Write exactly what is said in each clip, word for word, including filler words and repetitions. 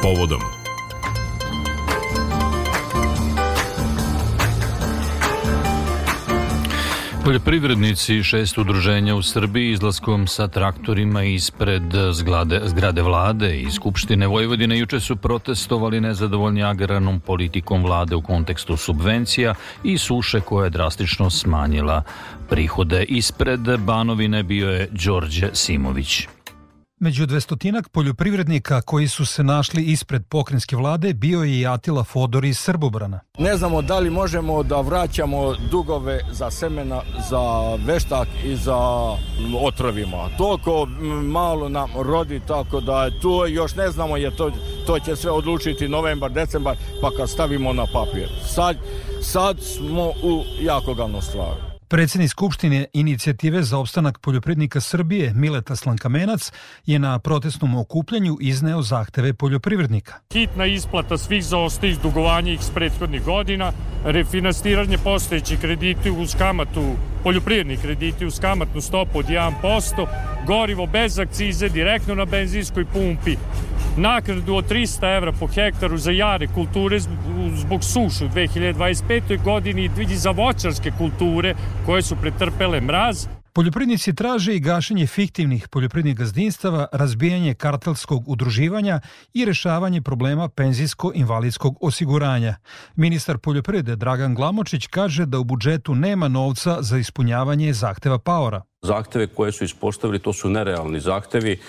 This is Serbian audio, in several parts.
povodom. Poljoprivrednici šest udruženja u Srbiji izlaskom sa traktorima ispred zgrade, zgrade vlade i Skupštine Vojvodine juče su protestovali nezadovoljni agrarnom politikom vlade u kontekstu subvencija i suše koja je drastično smanjila prihode. Ispred Banovine bio je Đorđe Simović. Među dvestotinak poljoprivrednika koji su se našli ispred pokrajinske vlade bio je i Atila Fodor iz Srbobrana. Ne znamo da li možemo da vraćamo dugove za semena, za veštak i za otrovima. Toliko malo nam rodi, tako da to još ne znamo, jer to, to će sve odlučiti novembar, decembar, pa kad stavimo na papir. Sad, sad smo u jako glavnom stvari. Predsjednik Skupštine Inicijative za opstanak poljoprivrednika Srbije Mileta Slankamenac je na protestnom okupljanju izneo zahteve poljoprivrednika. Hitna isplata svih zaostalih dugovanja iz prethodnih godina, refinansiranje postojećih krediti uz kamatu, poljoprivredni krediti uz kamatnu stopu od jedan posto, gorivo bez akcize direktno na benzinskoj pumpi, naknadu od trista evra po hektaru za jare kulture zbog suše u dve hiljade dvadeset petoj godini i za voćarske kulture koje su pretrpele mraz. Poljoprivrednici traže i gašenje fiktivnih poljoprivrednih gazdinstava, razbijanje kartelskog udruživanja i rešavanje problema penzijsko-invalidskog osiguranja. Ministar poljoprivrede Dragan Glamočić kaže da u budžetu nema novca za ispunjavanje zahteva paora. Zahteve koje su ispostavili, to su nerealni zahtevi,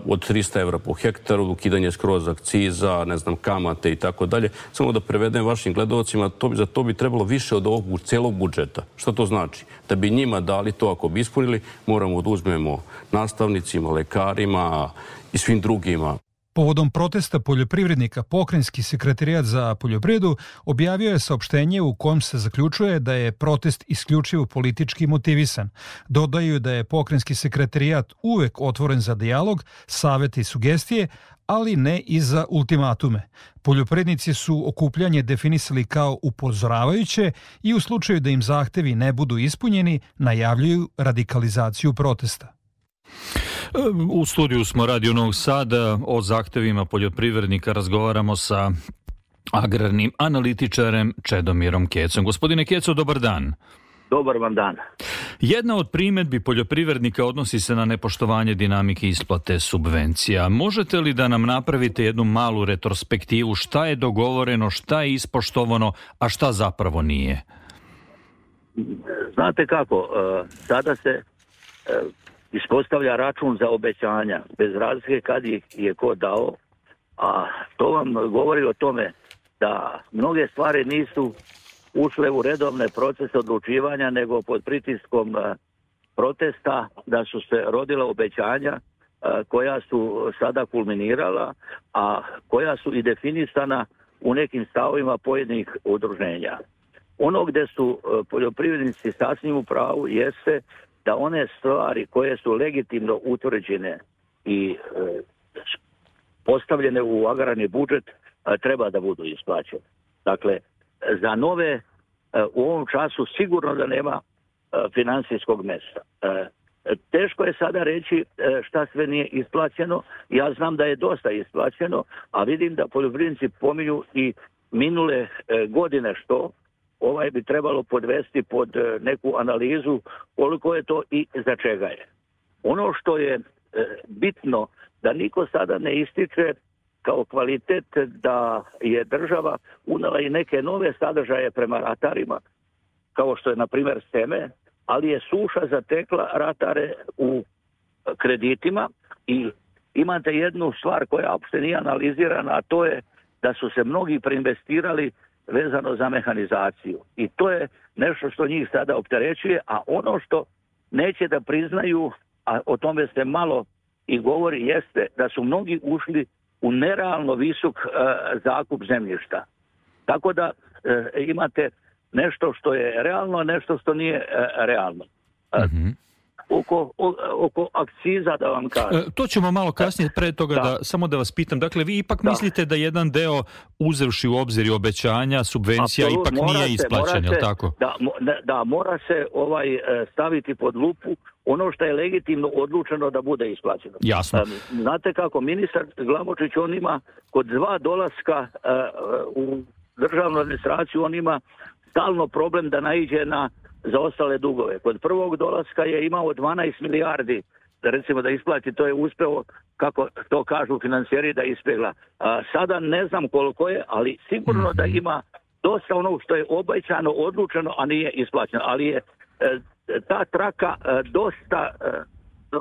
od trista evra po hektaru, ukidanje skroz akciza, ne znam, kamate i tako dalje. Samo da prevedem vašim gledalcima, to bi, za to bi trebalo više od ovog celog budžeta. Šta to znači? Da bi njima dali to, ako bi ispunili, moramo da uzmemo nastavnicima, lekarima i svim drugima. Povodom protesta poljoprivrednika, pokrajinski sekretarijat za poljoprivredu objavio je saopštenje u kojem se zaključuje da je protest isključivo politički motivisan. Dodaju da je pokrajinski sekretarijat uvek otvoren za dijalog, savete i sugestije, ali ne i za ultimatume. Poljoprivrednici su okupljanje definisali kao upozoravajuće i u slučaju da im zahtevi ne budu ispunjeni, najavljuju radikalizaciju protesta. U studiju smo Radio Novog Sada, o zahtevima poljoprivrednika razgovaramo sa agrarnim analitičarem Čedomirom Kecom. Gospodine Keco, dobar dan. Dobar vam dan. Jedna od primedbi poljoprivrednika odnosi se na nepoštovanje dinamike isplate subvencija. Možete li da nam napravite jednu malu retrospektivu šta je dogovoreno, šta je ispoštovano, a šta zapravo nije? Znate kako, sada se ispostavlja račun za obećanja, bez razlike kad ih je ko dao, a to vam govori o tome da mnoge stvari nisu ušle u redovne procese odlučivanja, nego pod pritiskom protesta da su se rodila obećanja koja su sada kulminirala, a koja su i definisana u nekim stavovima pojedinih udruženja. Ono gde su poljoprivrednici sasvim u pravu jeste da one stvari koje su legitimno utvrđene i e, postavljene u agrarni budžet e, treba da budu isplaćene. Dakle, za nove e, u ovom času sigurno da nema e, finansijskog mesta. E, teško je sada reći e, šta sve nije isplaćeno. Ja znam da je dosta isplaćeno, a vidim da poljoprivrednici pominju i minule e, godine što ovaj bi trebalo podvesti pod neku analizu koliko je to i za čega je. Ono što je e, bitno da niko sada ne ističe kao kvalitet da je država unela i neke nove sadržaje prema ratarima, kao što je na primjer seme, ali je suša zatekla ratare u kreditima i imate jednu stvar koja uopšte nije analizirana, a to je da su se mnogi preinvestirali vezano za mehanizaciju. I to je nešto što njih sada opterećuje, a ono što neće da priznaju, a o tome se malo i govori, jeste da su mnogi ušli u nerealno visok e, zakup zemljišta. Tako da e, imate nešto što je realno, a nešto što nije e, realno. E, mm-hmm. Oko, o, oko akciza da vam kažem. E, to ćemo malo kasnije, pre toga da. Da, samo da vas pitam. Dakle, vi ipak da. mislite da jedan deo, uzevši u obzir i obećanja, subvencija, Absolut, ipak nije se, isplaćen, je li tako? Da, da, mora se ovaj staviti pod lupu ono što je legitimno odlučeno da bude isplaćeno. Jasno. Znate kako, ministar Glamočić, on ima kod dva dolaska uh, u državnu administraciju, on ima stalno problem da naiđe na zaostale dugove. Kod prvog dolaska je imao dvanaest milijardi, da recimo da isplati, to je uspeo, kako to kažu finansijeri, da ispegla. A, sada ne znam koliko je, ali sigurno mm-hmm. da ima dosta onog što je obećano, odlučeno, a nije isplaćeno. Ali je e, ta traka e, dosta e,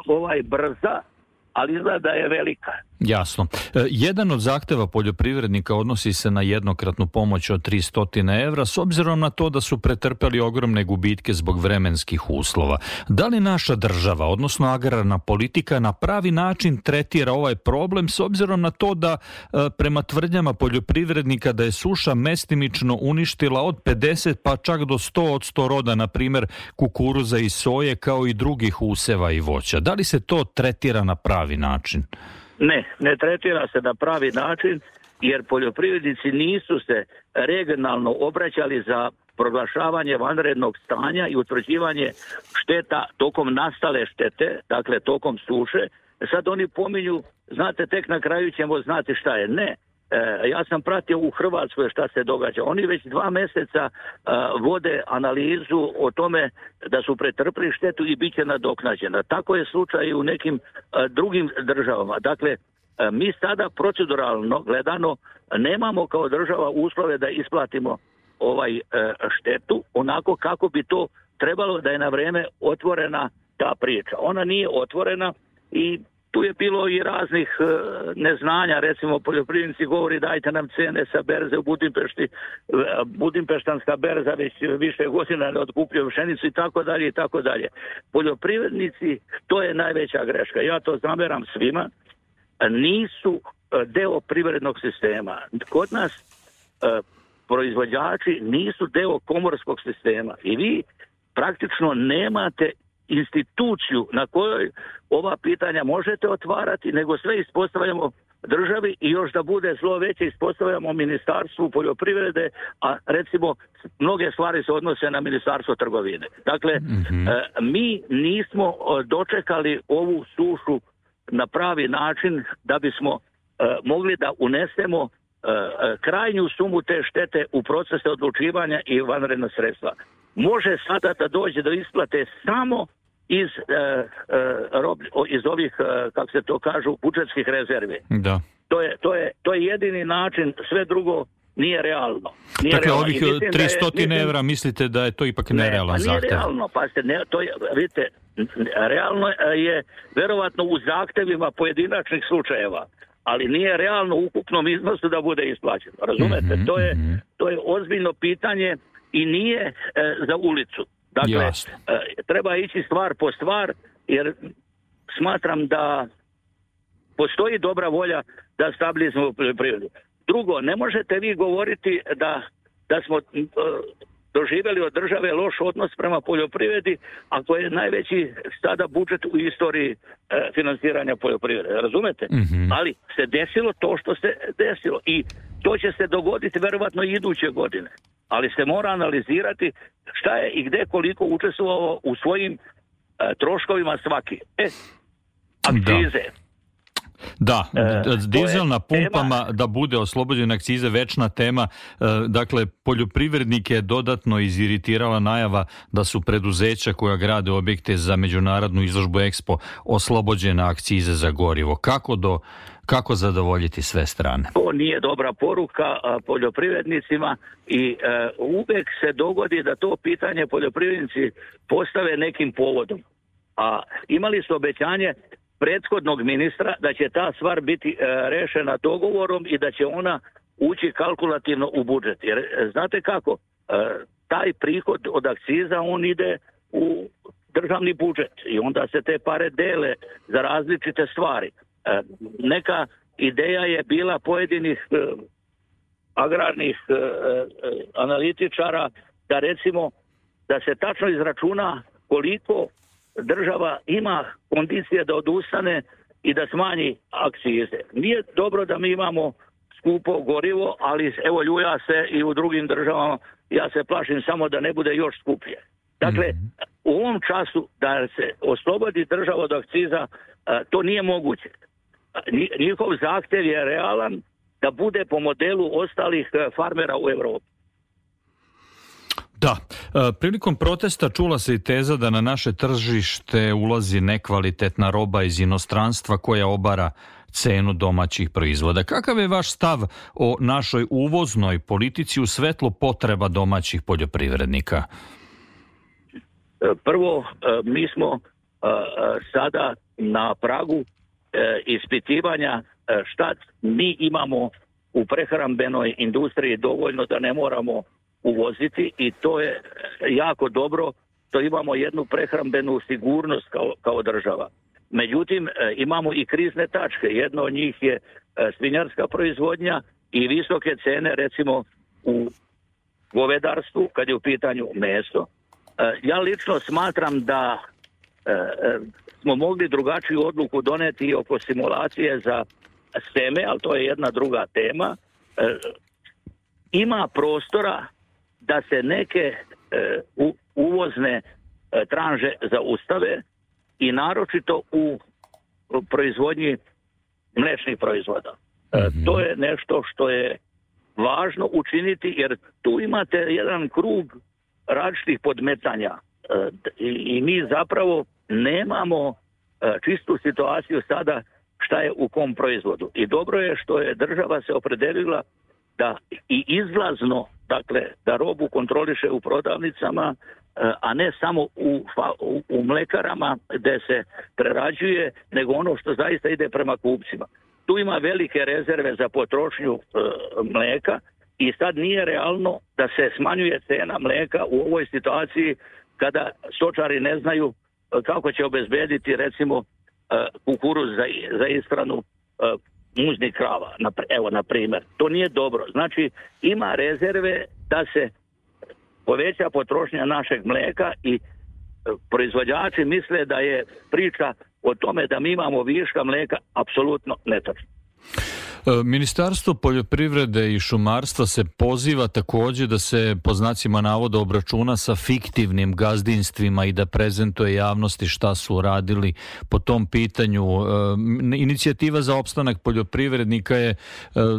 ovaj brza, ali izgleda da je velika. Jasno. E, jedan od zahteva poljoprivrednika odnosi se na jednokratnu pomoć od tristo evra, s obzirom na to da su pretrpeli ogromne gubitke zbog vremenskih uslova. Da li naša država, odnosno agrarna politika, na pravi način tretira ovaj problem, s obzirom na to da e, prema tvrdnjama poljoprivrednika da je suša mestimično uništila od pedeset pa čak do sto od sto roda, na primjer kukuruza i soje, kao i drugih useva i voća. Da li se to tretira na pravi način? Ne, ne tretira se na pravi način, jer poljoprivrednici nisu se regionalno obraćali za proglašavanje vanrednog stanja i utvrđivanje šteta tokom nastale štete, dakle tokom suše. Sad oni pominju, znate, tek na kraju ćemo znati šta je. Ne, e, ja sam pratio u Hrvatskoj šta se događa. Oni već dva mjeseca e, vode analizu o tome da su pretrpili štetu i bit će nadoknađena. Tako je slučaj i u nekim e, drugim državama. Dakle, e, mi sada proceduralno gledano nemamo kao država uslove da isplatimo ovaj e, štetu onako kako bi to trebalo da je na vrijeme otvorena ta priča. Ona nije otvorena i tu je bilo i raznih e, neznanja, recimo poljoprivrednici govori dajte nam cene sa berze u Budimpešti, Budimpeštanska berza već više godina ne otkupljuje pšenicu i tako dalje i tako dalje. Poljoprivrednici, to je najveća greška, ja to zameram svima, nisu deo privrednog sistema. Kod nas e, proizvođači nisu deo komorskog sistema i vi praktično nemate instituciju na kojoj ova pitanja možete otvarati, nego sve ispostavljamo državi i još da bude zlo veće ispostavljamo Ministarstvu poljoprivrede, a recimo mnoge stvari se odnose na Ministarstvo trgovine. Dakle, mm-hmm. e, mi nismo dočekali ovu sušu na pravi način da bismo e, mogli da unesemo e, krajnju sumu te štete u procese odlučivanja i vanredna sredstva. Može sada da dođe do isplate samo iz, e, e, rob, iz ovih, e, kako se to kažu, budžetskih rezervi. Da. To je, to je, to je jedini način, sve drugo nije realno. Nije dakle, realno. ovih tristo evra mislite da je to ipak nerealan ne, pa nije zahtev? Realno, pa ste, ne, to je, vidite, realno je verovatno u zahtevima pojedinačnih slučajeva, ali nije realno u ukupnom iznosu da bude isplaćeno. Razumete? Mm-hmm, to je, mm-hmm. to je ozbiljno pitanje i nije e, za ulicu. Dakle, e, treba ići stvar po stvar, jer smatram da postoji dobra volja da stabilizujemo poljoprivredu. Drugo, ne možete vi govoriti da, da smo e, doživjeli od države loš odnos prema poljoprivredi, ako je najveći sada budžet u istoriji e, finansiranja poljoprivrede. Razumete? Mm-hmm. Ali se desilo to što se desilo i to će se dogoditi verovatno i iduće godine. Ali se mora analizirati šta je i gde koliko učestvovao u svojim e, troškovima svaki. E, akcize. Da. Da, e, dizel na pumpama tema, da bude oslobođen akcize, večna tema. E, dakle, poljoprivrednike je dodatno iziritirala najava da su preduzeća koja grade objekte za međunarodnu izložbu Expo oslobođena akcize za gorivo. Kako do Kako zadovoljiti sve strane? To nije dobra poruka a, poljoprivrednicima i a, uvek se dogodi da to pitanje poljoprivrednici postave nekim povodom. A imali su obećanje prethodnog ministra da će ta stvar biti a, rešena dogovorom i da će ona ući kalkulativno u budžet. Jer znate kako, a, taj prihod od akciza on ide u državni budžet i onda se te pare dele za različite stvari. Neka ideja je bila pojedinih eh, agrarnih eh, analitičara da recimo da se tačno izračuna koliko država ima kondicije da odustane i da smanji akcize. Nije dobro da mi imamo skupo gorivo, ali evo ljuja se i u drugim državama, ja se plašim samo da ne bude još skuplje. Dakle, u ovom času da se oslobodi država od akciza, to nije moguće. Njihov zahtjev je realan da bude po modelu ostalih farmera u Evropi. Da, prilikom protesta čula se i teza da na naše tržište ulazi nekvalitetna roba iz inostranstva koja obara cenu domaćih proizvoda. Kakav je vaš stav o našoj uvoznoj politici u svetlu potreba domaćih poljoprivrednika? Prvo, mi smo sada na pragu ispitivanja šta mi imamo u prehrambenoj industriji dovoljno da ne moramo uvoziti, i to je jako dobro, to imamo jednu prehrambenu sigurnost kao, kao država. Međutim, imamo i krizne tačke. Jedno od njih je svinjarska proizvodnja i visoke cene, recimo u govedarstvu, kad je u pitanju meso. Ja lično smatram da smo mogli drugačiju odluku doneti oko simulacije za seme, ali to je jedna druga tema. Ima prostora da se neke uvozne tranže zaustave, i naročito u proizvodnji mlečnih proizvoda. Mm-hmm. To je nešto što je važno učiniti, jer tu imate jedan krug različitih podmetanja i, i mi zapravo nemamo čistu situaciju sada šta je u kom proizvodu. I dobro je što je država se opredelila da i izlazno, dakle, da robu kontroliše u prodavnicama, a ne samo u, u, u mlekarama gde se prerađuje, nego ono što zaista ide prema kupcima. Tu ima velike rezerve za potrošnju e, mleka, i sad nije realno da se smanjuje cena mleka u ovoj situaciji kada stočari ne znaju kako će obezbediti, recimo, e, kukuruz za, za ishranu e, muznih krava. Evo, na primjer. To nije dobro. Znači, ima rezerve da se poveća potrošnja našeg mleka, i proizvođači misle da je priča o tome da mi imamo viška mleka apsolutno netačno. Ministarstvo poljoprivrede i šumarstva se poziva također da se po znacima navoda obračuna sa fiktivnim gazdinstvima i da prezentuje javnosti šta su radili po tom pitanju. Inicijativa za opstanak poljoprivrednika je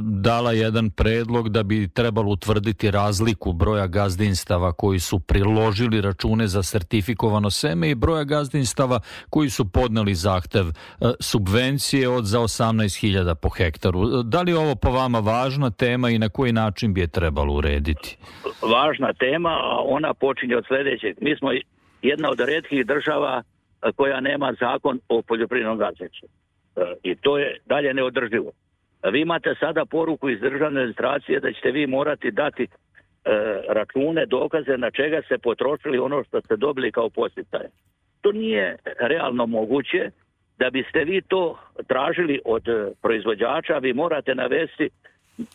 dala jedan predlog da bi trebalo utvrditi razliku broja gazdinstava koji su priložili račune za sertifikovano seme i broja gazdinstava koji su podneli zahtev subvencije od za osamnaest hiljada po hektaru. Da li je ovo po vama važna tema i na koji način bi je trebalo urediti? Važna tema, a ona počinje od sljedećeg. Mi smo jedna od retkih država koja nema zakon o poljoprivrednom gazdinstvu. I to je dalje neodrživo. Vi imate sada poruku iz državne administracije da ćete vi morati dati račune, dokaze na čega se potrošili ono što ste dobili kao podsticaj. To nije realno moguće. Da biste vi to tražili od proizvođača, vi morate navesti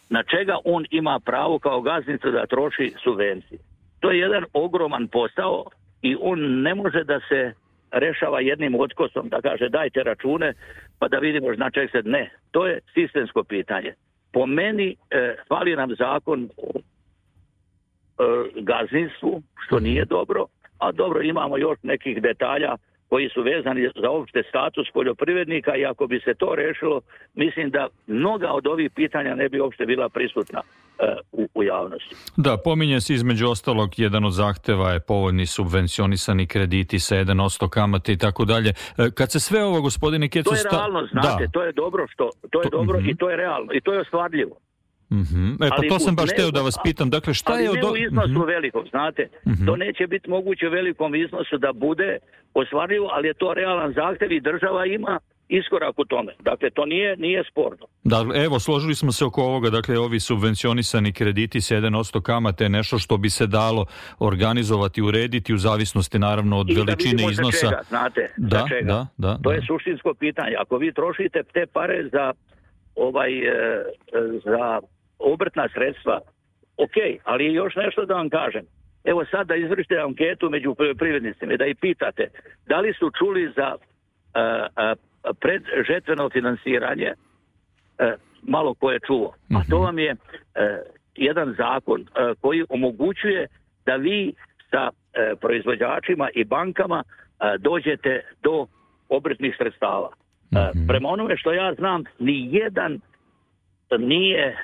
na čega on ima pravo kao gazdinstvo da troši subvencije. To je jedan ogroman posao i on ne može da se rešava jednim otkosom, da kaže dajte račune pa da vidimo na čeg se ne. To je sistemsko pitanje. Po meni e, fali nam zakon o e, gazdinstvu, što nije dobro, a dobro, imamo još nekih detalja koji su vezani za opšte status poljoprivrednika, i ako bi se to rešilo, mislim da mnoga od ovih pitanja ne bi uopšte bila prisutna uh, u, u javnosti. Da, pominje se između ostalog, jedan od zahteva je povoljni subvencionisani krediti sa jedan posto kamate i tako dalje. Kad se sve ovo, gospodine Kecu... To je realno, znate, da. to je dobro, što, to je to, dobro uh-huh. i to je realno, i to je ostvarljivo. Mm-hmm. E, pa to sam baš teo da vas pitam. Dakle, šta ali je ne od... u iznosu mm-hmm. velikom, znate. Mm-hmm. To neće biti moguće u velikom iznosu da bude ostvarljivo, ali je to realan zahtev i država ima iskorak u tome. Dakle, to nije, nije sporno. Da, evo, složili smo se oko ovoga. Dakle, ovi subvencionisani krediti sa jedan posto kamate je nešto što bi se dalo organizovati, urediti u zavisnosti naravno od I veličine da iznosa. Čega, znate, da, za čega. Da, da, to da. je suštinsko pitanje. Ako vi trošite te pare za ovaj e, za obrtna sredstva, ok, ali još nešto da vam kažem. Evo sad da izvršite anketu među poljoprivrednicima i da ih pitate da li su čuli za uh, uh, predžetveno finansiranje, uh, malo ko je čuo. A to vam je uh, jedan zakon uh, koji omogućuje da vi sa e, proizvođačima i bankama e, dođete do obrtnih sredstava. Mm-hmm. Prema onome što ja znam, ni jedan nije e,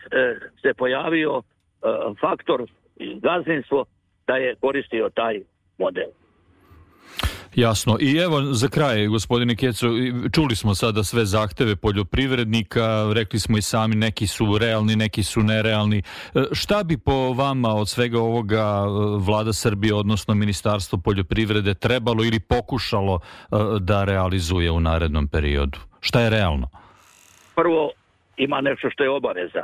se pojavio e, faktor gazdinstvo da je koristio taj model. Jasno. I evo za kraj, gospodine Keco, čuli smo sada sve zahteve poljoprivrednika, rekli smo i sami, neki su realni, neki su nerealni. Šta bi po vama od svega ovoga Vlada Srbije, odnosno Ministarstvo poljoprivrede, trebalo ili pokušalo da realizuje u narednom periodu? Šta je realno? Prvo, ima nešto što je obaveza,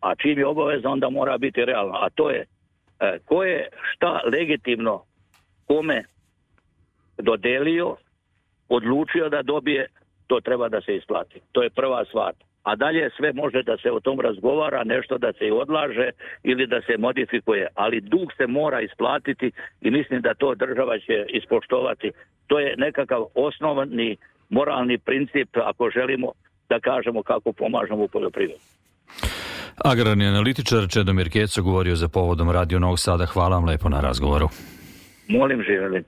a čim je obaveza onda mora biti realno, a to je ko je šta legitimno kome dodelio, odlučio da dobije, to treba da se isplati. To je prva stvar. A dalje sve može da se o tom razgovara, nešto da se i odlaže ili da se modifikuje. Ali dug se mora isplatiti i mislim da to država će ispoštovati. To je nekakav osnovni moralni princip ako želimo da kažemo kako pomažemo u poljoprivredi. Agrarni analitičar Čedomir Keco govorio za povodom Radio Novog Sada. Hvala vam lepo na razgovoru. Molim, živjeli.